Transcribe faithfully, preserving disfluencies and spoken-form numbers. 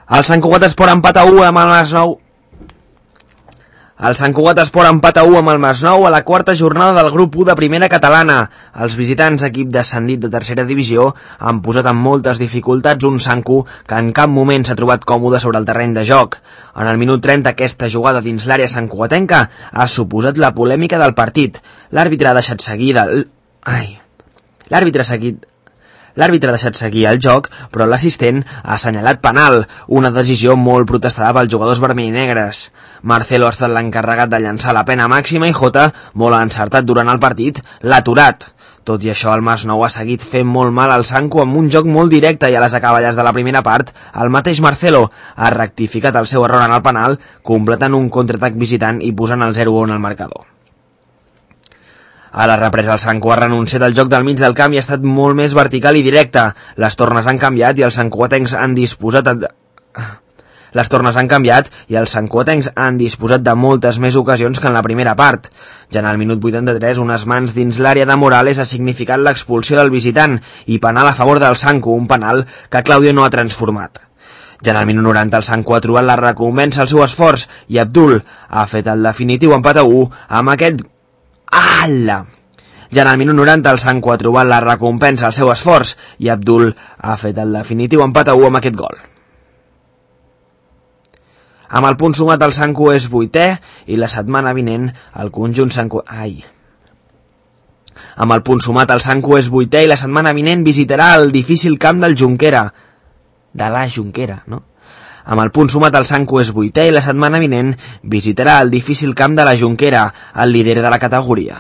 El Sant Cugat Esport empat a u amb el Masnou. El Sant Cugat Esport empat a u amb el Masnou a la quarta jornada del grup u de primera catalana. Els visitants, equip descendit de tercera divisió, han posat en moltes dificultats un Sancu que en cap moment s'ha trobat còmode sobre el terreny de joc. En el minut trenta, aquesta jugada dins l'àrea santcugatenca ha suposat la polèmica del partit. L'àrbitre ha deixat seguir del... Ai... L'àrbitre ha seguit... L'àrbitre ha deixat seguir el joc, però l'assistent ha assenyalat penal, una decisió molt protestada pels jugadors vermell i negres. Marcelo ha estat l'encarregat de llançar la pena màxima i Jota, molt encertat durant el partit, l'ha aturat. Tot i això, el Masnou ha seguit fent molt mal al Sancu amb un joc molt directe i a les acaballes de la primera part, el mateix Marcelo ha rectificat el seu error en el penal, completant un contraatac visitant i posant el zero a un al marcador. A la represa el Sancu ha renunciat al joc del mig del camp i ha estat molt més vertical i directe. Les tornes han canviat i els santcugatencs han disposat... A... Les tornes han canviat i els santcugatencs han disposat de moltes més ocasions que en la primera part. Ja en el minut vuitanta-tres, unes mans dins l'àrea de Morales ha significat l'expulsió del visitant i penal a favor del Sancu, un penal que Claudio no ha transformat. Ja en el minut noranta el Sancu ha trobat la recompensa al seu esforç i Abdul ha fet el definitiu empat a u amb aquest... Ala! Ja en el minut noranta el Sancu ha trobat la recompensa al seu esforç i Abdul ha fet el definitiu empat a u amb aquest gol. Amb el punt sumat el Sancu és vuitè i la setmana vinent el conjunt Sancu... Ai... Amb el punt sumat el Sancu és vuitè i la setmana vinent visitarà el difícil camp del Junquera. De la Junquera, no? Amb el punt sumat el Sancu és vuitè i la setmana vinent visitarà el difícil camp de la Junquera, el líder de la categoria.